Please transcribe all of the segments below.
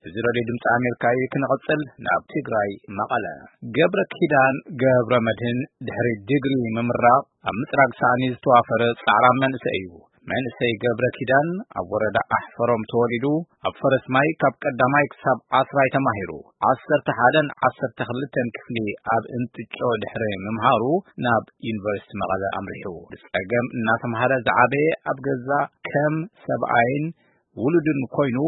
እዚ ሬድዮ ድምፂ ኣሜሪካ እዩ። ክንቕፅል ናብ ትግራይ መቐለ። ገብረ ኪዳን ገብረ መድህን ድሕሪ ዲግሪ ምምራቕ ኣብ ምፅራግ ሳእኒ ዝተዋፈረ ፃዕራም መንእሰይ እዩ። መንእሰይ ገብረ ኪዳን ኣብ ወረዳ ኣሕፈሮም ተወሊዱ፣ ኣብ ፈረስ ማይ ካብ ቀዳማይ ክሳብ ዓስራይ ተማሂሩ። ዓሰርተ ሓደን ዓሰርተ ክልተን ክፍሊ ኣብ እንትጮ ድሕሪ ምምሃሩ ናብ ዩኒቨርሲቲ መቐለ ኣምሪሑ። ብፀገም እናተምሃረ ዝዓበየ፣ ኣብ ገዛ ከም ሰብኣይን ውሉድን ኮይኑ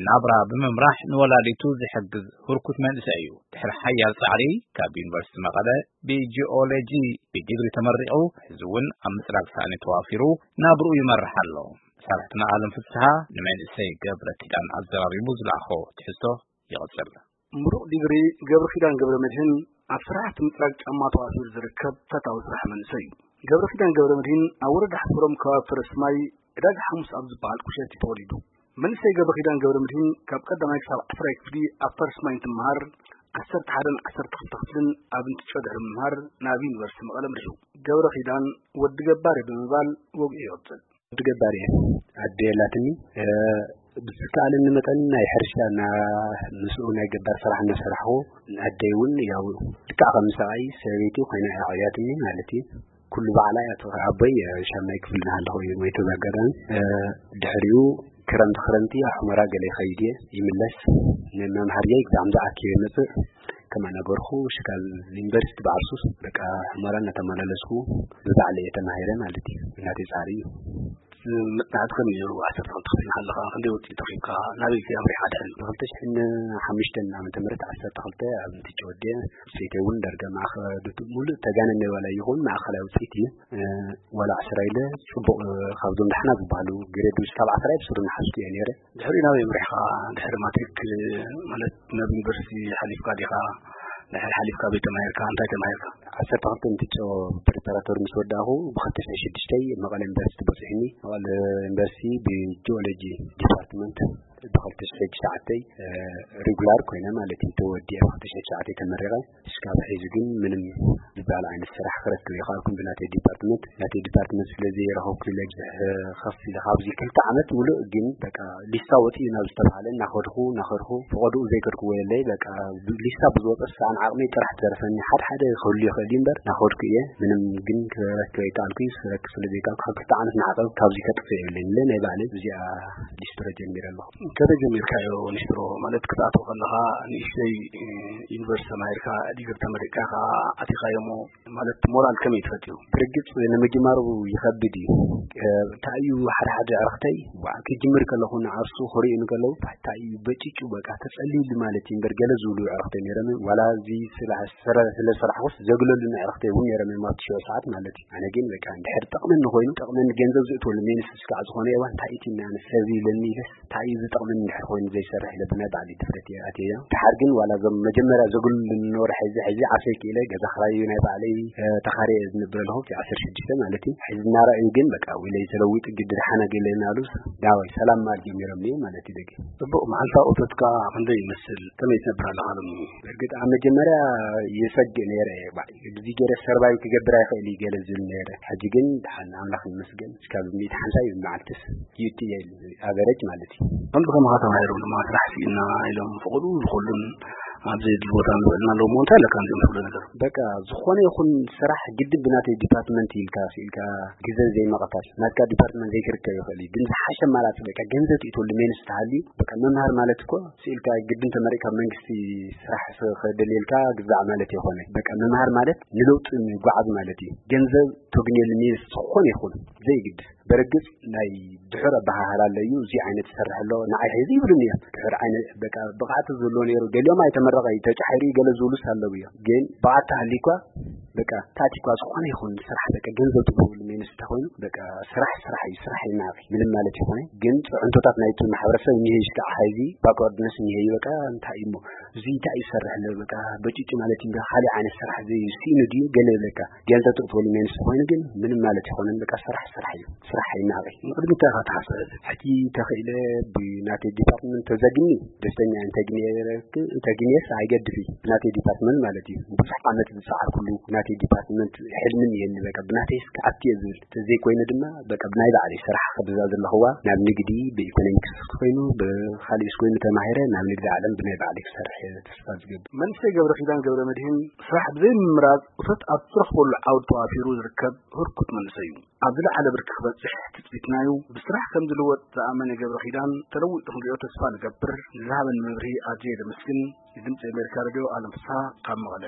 ናብራ ብምምራሕ ንወላዲቱ ዝሕግዝ ህርኩት መንእሰይ እዩ። ድሕሪ ሓያል ፃዕሪ ካብ ዩኒቨርሲቲ መቐለ ብጂኦሎጂ ብዲግሪ ተመሪቑ፣ ሕዚ እውን ኣብ ምፅራግ ሳእኒ ተዋፊሩ ናብርኡ ይመርሕ ኣሎ። ሳልሕትና ኣለም ፍስሃ ንመንእሰይ ገብረ ኪዳን ኣዘራሪቡ ዝለኣኾ ትሕዝቶ ይቕፅል። ምሩቕ ዲግሪ ገብረ ኪዳን ገብረ መድህን ኣብ ስራሕቲ ምፅራግ ጫማ ተዋፊሩ ዝርከብ ፈታዊ ስራሕ መንእሰይ እዩ። ገብረ ኪዳን ገብረ መድህን ኣብ ወረዳ ሓፍሮም ከባቢ ፈረስ ማይ ዕዳጋ ሓሙስ ኣብ ዝበሃል ቁሸት እዩ ተወሊዱ። መንእሰይ ገብረ ኪዳን ገብረ መድህን ካብ ቀዳማይ ክሳብ ዓስራይ ክፍሊ ኣብ ፈረስ ማይ እንትምሃር፣ ዓሰርተ ሓደን ዓሰርተ ክልተ ክፍልን ኣብ እንትጮ ድሕሪ ምምሃር ናብ ዩኒቨርሲቲ መቐለ ኣምሪሑ። ገብረ ኪዳን ወዲ ገባሪ ብምባል ወግኡ ይቕፅል። ወዲ ገባሪ እየ። ኣደ የላትኒ። እ፣ ብዝከኣለኒ መጠን ናይ ሕርሻ እና-፣ ምስኡ ናይ ገባር ስራሕ እናሰራሕኹ፣ ኣደይ እውን ያው ልክዕ ከም ሰብኣይ ሰበይቲ ኮይና እያ ዓብያትኒ ማለት እዩ። ኩሉ ባዕላ እያ ትኸ-፣ ኣቦይ፣ እ፣ ሻምናይ ክፍሊ እናሃለኹ እዩ ሞይቱ። በኣጋጣሚ፣ እ፣ ድሕሪኡ ክረምቲ ክረምቲ ኣብ ሑመራ ገለ ይኸይድ እየ፣ ይምለስ። ንመምሃር እየ ብጣዕሚ ዝኣክብ እየ መፅእ። ከማን ነበርኩ፣ ሽካል ዩኒቨርሲቲ ባዕርሱስ በቃ ሑመራ እናተመላለስኩ ብባዕለ እየ ተማሂረ ማለት እዩ። እናተይ ፃዕሪ እዩ። መፅናዕቲ ከመይ ነይሩ? ዓሰርተ ክልተ ክፍሊ ከለኻ ክንደይ ውፅኢት ረኺብካ? ናበይ ከ ኣምሪኻ ድሕሪ? ብክልተ ሽሕን ሓሙሽተን ዓመተ ምህረት ዓሰርተ ክልተ ኣብ እንትጭ ወዲአ፣ ሰይተይ እውን ዳርጋ ማእኸ-፣ ሙሉእ ተጋነነ ዋላ ይኹን ማእኸላይ ውፅኢት እዩ። እ፣ ዋላ ዓስራ ኢለ ፅቡቕ፣ እ፣ ካብዞም ዳሕና ዝበሃሉ ግሬድ ውስጥ ካብ ዓስራ ብስሩ እናሓዝኩ እየ ነይረ። ድሕሪ ናበይ ኣምሪሕኻ? ድሕሪ ማትሪክ ማለት ናብ ዩኒቨርሲቲ ሓሊፍካ ዲኻ? ድሕሪ ሓሊፍካ ቤት ተማሂርካ? እንታይ ተማሂርካ? ዓሰርተ ክልተ እንትጮ ፕሪፓራቶሪ ምስ ወዳእኹ፣ ብክልተ ሽሕን ሽዱሽተን መቐለ ዩኒቨርሲቲ በፂሑኒ። መቐለ ዩኒቨርሲቲ ብጂኦሎጂ ዲፓርትመንት ብክልተ ሽሕን ትሽዓተን፣ እ፣ ሪጉላር ኮይነ ማለት እዩ፣ ተወዲአ ብክልተ ሽሕን ትሽዓተን ተመሪቐ። እስካብ ሕዚ ግን ምንም ዝበሃል ዓይነት ስራሕ ክረክብ ይኸኣልኩን ብናተይ ዲፓርትመንት። ናተይ ዲፓርትመንት ስለ ዘይረኸብኩ ኢለ ብዙሕ ከፍ ኢለ ካብዚ ክልተ ዓመት ሙሉእ ግን በቃ ሊስታ ወፂኡ ናብ ዝተባሃለ እናኸድኩ፣ እናኸድኩ፣ ፈቐድኡ ዘይከድኩዎ የለይ። በቃ ሊስታ ብዝወፀ ሰኣን ዓቕመይ ጥራሕ ትደርፈኒ። ሓደ ሓደ ክህሉ ይኽእል እዩ እምበር እናኸድኩ እየ። ምንም ግን ክረክብ ኣይከኣልኩ። ክረክብ ስለ ዘይከኣልኩ ካብ ክልተ ዓመት ንዓቐብ ካብዚ ከጥፍእ የብለይን ኢለ ናይ ባዕለይ እዚኣ ሊስትሮ ጀሚረ ኣለኹ። ከመይ ጀሚርካዮ ሊስትሮ? ማለት ክትኣትዎ ከለኻ ንእሽተይ፣ እ፣ ዩኒቨርሲቲ ተማሂርካ ዲግሪ ተመሪቕካ ከኣ ኣቲኻዮ እሞ፣ ማለት ሞራል ከመይ ትፈጥዩ? ብርግጽ ንምጅማሩ ይኸብድ እዩ። እ፣ እንታይ እዩ ሓደ ሓደ ዕረኽተይ፣ ዋ፣ ክጅምር ከለኹ ንዓርሱ ክርእዩ እንከለዉ፣ እንታይ እዩ በጭጩ በቃ ተጸልዩሉ ማለት እዩ እምበር ገለ ዝብሉ ዕረኽተይ ነይሮም። ዋላ እዚ ስራሕ ስረ-፣ ስለ ሰራሕኩስ ዘግለሉኒ ዕረኽተይ እውን ነይሮም እዮም ኣብቲ ሽዑ ሰዓት ማለት እዩ። ኣነ ግን በቃ እንድሕር ጠቕመኒ ኮይኑ፣ ጠቕመኒ ገንዘብ ዝእትወሉ ሜንስ እስካዕ ዝኾነ እዋን እንታይ እቲ ኣነ ሰብ ይብለኒ ኢለስ እንታይ እዩ ዝጠቕመኒ እንድሕር ኮይኑ ዘይሰርሕ ኢለ ብናይ ባዕለይ ድፍረት እየ ኣትየዮ። ደሓር ግን ዋላ እዞም መጀመርያ ዘግልሉኒ ነበሩ ሕዚ፣ ሕዚ ዓርሰይ ክኢለ ገዛ ክራይ ናይ ባዕለይ፣ እ፣ ተኻርየ ዝነብር ኣለኹ፣ እቲ ዓሰርተ ሽዱሽተ ማለት እዩ። ሕዚ እናረኣዩ ግን በቃ ውለይ ተለዊጡ ግዲ ደሓና ገለ እናበሉ ናባይ ሰላም ምባል ጀሚሮም እኒኦ ማለት እዩ ደገ። ጽቡቕ፣ መዓልታዊ እቶትካ ክንደይ ይመስል? ከመይ ትነብር ኣለኻ ሎሚ? እርግጥ ኣብ መጀመርያ የሰግእ ነይረ እየ፣ ባዕ፣ ብዚ ገይረ ሰርቫይቭ ክገብር ኣይኽእል እዩ ገለ ዝብል ነይረ። ሕጂ ግን ደሓን ኣምላኽ ይመስገን፣ እስካብ ሚእቲ ሓምሳ እዩ መዓልትስ ይእቲ እየ ኢሉ፣ ኣቨረጅ ማለት እዩ። ከምዚ ከማኻ ተማሂሮም ድማ ስራሕ ስኢና ኢሎም ፍቕዱ ዝኹሉን ኣብ ዘየድሊ ቦታ ንውዕልና ኣለዎ እሞ እንታይ ኣለካ ነዚኦም ዝብሉ ነገር? በቃ ዝኾነ ይኹን ስራሕ ግድን ብናተይ ዲፓርትመንት ኢልካ ስኢልካ ግዘ ዘይምቕታል፣ ናትካ ዲፓርትመንት ዘይክርከብ ይኽእል እዩ፣ ግን ዝሓሸ ኣማራፂ በቃ ገንዘብ ትእትወሉ ሜንስ ተሃልዩ፣ በቃ መምሃር ማለት እኮ ስኢልካ ግድን ተመሪቕካ መንግስቲ ስራሕ ስ-፣ ከደልየልካ ግዛዕ ማለት ይኾነ። በቃ መምሃር ማለት ንለውጢ ምጓዓዝ ማለት እዩ። ገንዘብ ተግንየሉ ሜንስ ዝኾነ ይኹን ዘይግድ። በርግጽ ናይ ድሑር ኣበሃህላ ኣሎ እዩ። እዚ ዓይነት ዝሰርሕ ኣሎ፣ ንዓይ ሕዚ ይብሉኒ እዮም። ድሑር ዓይነት በቃ ብቕዓት ዘሎ ነይሩ፣ ደልዮም ኣይተመረቐ እዩ፣ ተጫሒሩ እዩ ገለ ዝብሉስ ኣለዉ እዮም። ግን ብቕዓት ተሃልዩኳ በቃ ታቲኳ ዝኾነ ይኹን ስራሕ በቃ ገንዘብ ትገብሩ ሜንስ እንተኾይኑ በቃ ስራሕ ስራሕ እዩ፣ ስራሕ ይናቂ ምንም ማለት ይኾነ። ግን ጽዕንቶታት ናይቲ ማሕበረሰብ እኒሀ እዩ፣ እስካዕ ሕዚ ባክዋርድነስ እኒሀ እዩ። በቃ እንታይ እዩ እሞ እዚ እንታይ እዩ ዝሰርሕ ኣሎ በቃ በጭጭ ማለት እዩ። ካልእ ዓይነት ስራሕ ዘይስኢኑ ድዩ ገለ ይብለካ። ገንዘብ ትእትወሉ ሜንስ ኮይኑ ግን ምንም ማለት ይኾነን። በቃ ስራሕ ስራሕ እዩ፣ ስራሕ ኣይናቂ። ንቕድሚት እንታይ ኢኻ ትሓስብ? ሕጂ ተኽኢለ ብናተይ ዲፓርትመንት ተዘግኒ ደስተኛ እየ። እንተግንየ፣ እንተግንየስ ኣይገድፍ እዩ ብናተይ ዲፓርትመንት ማለት እዩ። ብዙሕ ዓመት ዝፀዓርኩሉ ናቲ ዲፓርትመንት ሕልምን የኒ በቃ ብናተይስ ክኣቱ እየ ዝብል። ተዘይኮይኑ ድማ በቃ ብናይ ባዕለይ ስራሕ ክብዛ ዘለኽዋ ናብ ንግዲ ብኢኮኖሚክስ ኮይኑ ብካሊእስ ኮይኑ ተማሂረ ናብ ንግዲ ዓለም ብናይ ባዕለይ ክሰርሕ እየ ተስፋ ዝገብር። መንእሰይ ገብረ ኪዳን ገብረ መድህን ስራሕ ብዘይምምራፅ እቶት ኣብ ትረኽበሉ ዓውዲ ተዋፊሩ ዝርከብ ህርኩት መንእሰይ እዩ። ኣብ ዝለዓለ ብርኪ ክበፅሕ ትፅቢትናዩ። ብስራሕ ከም ዝልወጥ ዝኣመነ ገብረ ኪዳን ተለዊጡ ክንሪኦ ተስፋ ንገብር። ንዝሃበን መብርሂ ኣዝየ ዘመስግን። ንድምፂ ኣሜሪካ ሬድዮ ኣለም ፍስሃ ካብ መቐለ።